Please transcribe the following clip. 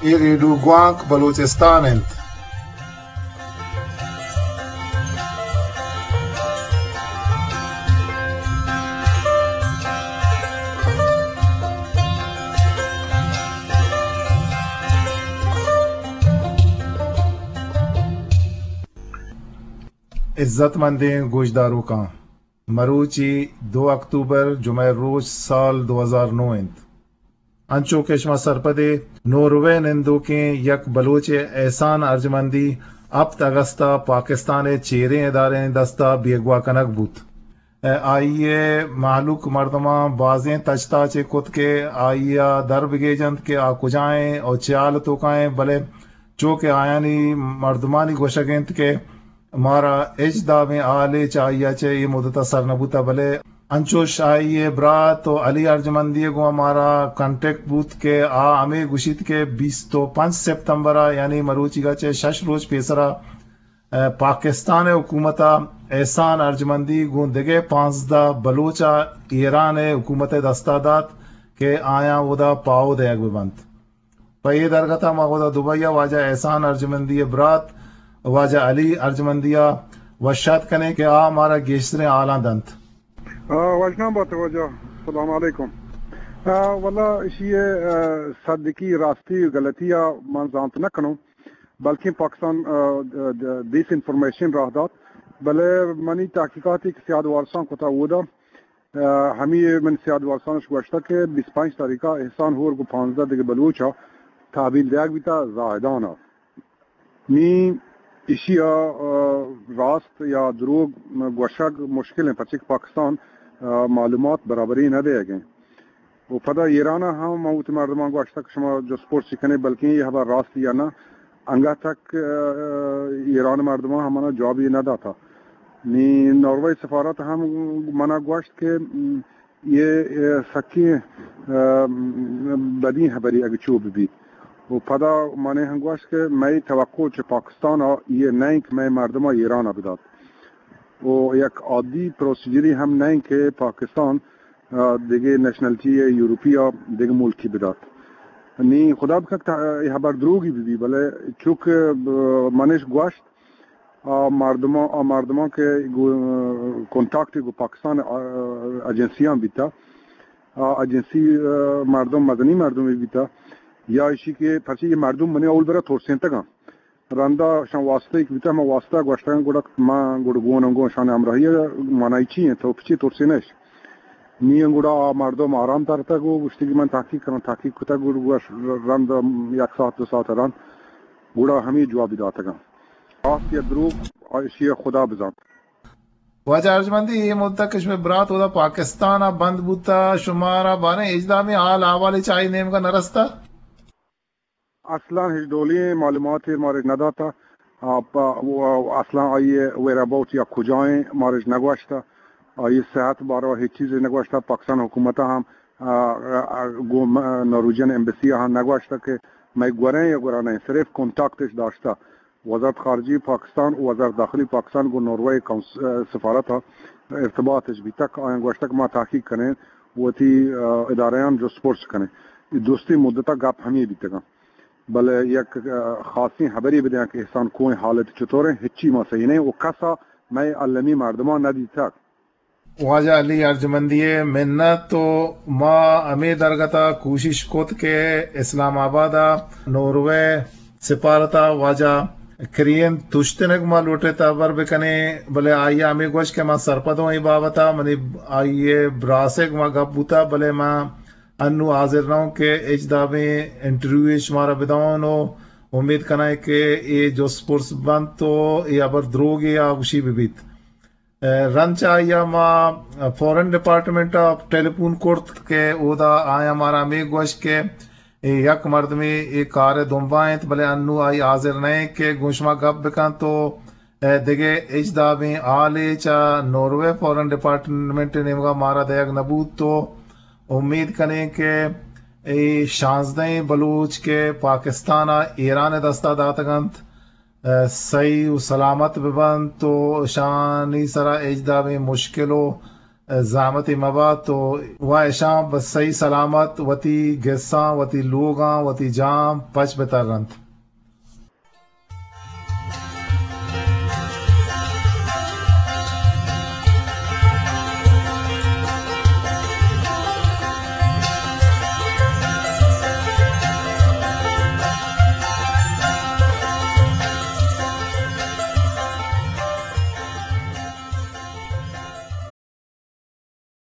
اے ریڈیو گوانک بلوچستان انت۔ عزت مندیں گوشداروکاں، مروچی دو اکتوبر، جمعہ روچ، سال دو ہزار نو انت۔ انچو کہ شما سرپدے، ناروے نندوکیں یک بلوچے احسان ارجمندی ہپت اگست ءَ پاکستان ءِ چیریں ادارہانی دست ءَ بیگواہ کنگ بوت۔ ءُ آئی ءِ مہلوک مردماں بازیں تچ تاچے کت کہ آئی ءَ در بگیجنت کہ آ کجا ایں ءُ چے حال ءِ توکا ایں، بلے چو کہ آیانی مردمانی گوشگ انت کہ مارا ہچ دابیں حالے چہ آئی ءَ چہ اے مدت ءَ سر نہ بوتہ، بلے انچوش آئی ءِ برات ءُ علی ارجمندی ءَ گوں مارا کانٹیکٹ بوت کہ آ ہمے گوشیت کہ بیست ءُ پنچ سپتمبر ءَ، یعنی مروچیگ ءَ چہ شش روچ پیسر ءَ، ءُ پاکستان ءِ حکومت ءَ احسان ارجمندی گوں دگہ پانزدہ بلوچ ءَ ایران ءِ حکومت ءِ دست ءَ دات کہ آیاں اودا پاہو دئیگ بہ بنت۔ پہ اے درگت ءَ ما اودا دبئی ءَ واجہ احسان ارجمندی ءِ برات واجہ علی ارجمندی ءَ وش آتک کنیں کہ آ مارا گیشتریں حالاں دنت۔ آ، وژنام بات واجہ، سلام علیکم۔ آ، واللہ اشی ءِ، آ، صدقی، راستی و غلطی ءَ من زانت نہ کنوں، بلکیں پاکستان، آ، د-، د-، ڈس انفارمیشن راہ دات، بلے منی تحقیقاتی کہ سیاد وارساں کتا اودا، آ، ہمی من سیاد وارسانش گوشتہ کہ بیست پنچ تاریخ ءَ احسان ہور گوں پانزدہ دگہ بلوچ ءَ تحویل دیگ بیتہ زاہدان ءَ۔ نی ایشی ءَ، آ، راست یا دروگ گوشگ مشکل انت، پرچہ کہ پاکستان، آ، معلومات برابری نہ دیگ انت۔ و پدا ایران ءَ ہم من وتی مردماں گوشتگ کہ شما جست پرسی کنے، بلکیں اے ہبر راست یا نہ، انگت تک، آ، ایران مردماں ہم منا جوابی نہ داتا۔ نی ناروے سفارت ہم منا گوشت کہ، م، یہ، آ، سکیں، آ، بدیں ہبری اگہ چو ببیت۔ و پدا منے ہم گوشت کہ مئے توقع چہ پاکستان ءَ یہ نہ انت کہ مئے مردماں ایران ءَ بدات۔ و یک عادی پروسیجری ہم نہ انت کہ پاکستان، آ، دگہ نیشنلٹی یورپی ءَ دگہ ملکی بدات۔ نی خدا بکنت کہ اے ہبر دروگی ببی، بلے چونکہ، آ، منش گوشت، آ مردماں، آ مردماں کہ گو-، کنٹاکٹ گوں پاکستان، آ، ایجنسیاں بیتا، آ ایجنسی، آ، مردم مزنی مردمے بیتا، یا ایشی کہ پرچہ یہ مردم منی اول برا ترسینتگاں۔ رندا شان واسطہ ایک بیتا، ما واسطہ گوشتگاں، گڑا ما گڑ گون گون شان ہمراہی معنی چی ہیں، تو پچی ترسینش؟ نی گڑا آ مردم آرام ترتگ و گوشتی کہ من تحقیق کناں، تحقیق کتگ، گڑ گوش رند یک ساعت دو ساعت رند گڑا ہمیں جوابی داتگاں۔ راست یا دروگ، ایشی خدا بزانت۔ واجہ ارجمندی، اے مدت کہ شمئے برات اودا پاکستان ءَ بند بوتا، شمارا باریں ہچ دابیں حال احوالے چہ آئی نیمگا نہ رستا؟ اصلاً ہچ ڈولیں معلوماتے مارا نہ داتا۔ آ، پا-، و-، اصلاً آئی ویئر اباؤٹ یا کجائیں مارا نہ گوشتا۔ آئی صحت باروا ہچ چیزے نہ گوشتا۔ پاکستان حکومت ہم، آ، آ، گو م-، نارویجن ایمبسی ہم نہ گوشتا کہ مئے گوریں یا گورا نہیں، صرف کانٹیکٹش داشتا۔ وزارت خارجہ پاکستان و وزارت داخلہ پاکستان گوں ناروے کونس-، ء، سفارت ء ارتباطش بیتگ۔ آیاں گوشتگ ما تحقیق کنیں، وتی، ء، ادارہاں جست پرس کنیں۔ اے درستیں مدت ء گپ ہمے بیتگاں۔ بلے یک، ء، خاصیں ہبرے بدیاں کہ احسان کوئیں حالت چطوریں، ہچی ما صحیح نہیں و کسا مئے المی مردماں نہ دیتگ۔ واجہ علی ارجمندی ء منت و ما ہمے درگت ء کوشش کت کہ اسلام آباد ء ناروے سفارت ء واجہ کرین تشتنگ ما لوٹت ہبر بکنیں، بلے آئی ء ہمے گوشت کہ ما سرپدوں اے بابت ء، منی آئی ء براسے گما گپ بوتا، بلے ما انو حاضر نہ اوں کہ ہچ دابیں انٹرویو شمارا بداؤں و امید کنائیں کہ اے جست پرس بنت و اے ہبر دروگے یا گوشی ببیت۔ ء رند چہ آئی ء ما فارن ڈپارٹمنٹ ء ٹیلی فون کرت کہ اودا آیاں مارا ہمے گوشت کہ اے یک مردمے اے کار ء دمبا انت، بلے انو آئی حاضر نہ انت کہ گوں شما گپ بکنت و دگہ ہچ دابیں حالے چہ ناروے فارن ڈپارٹمنٹ ء نیمگا مارا دئیگ نہ بوت و امید کنیں کہ اے شانزدہیں بلوچ کہ پاکستان ء ایران ء دستا داتگ انت، ء، سہی و سلامت بہ بنت و اشانی سرا ہچ دابیں مشکل و زحمتے مبات و وا اشاں بس صحیح سلامت وتی گساں، وتی لوگاں، وتی جاہاں پچ بترنت۔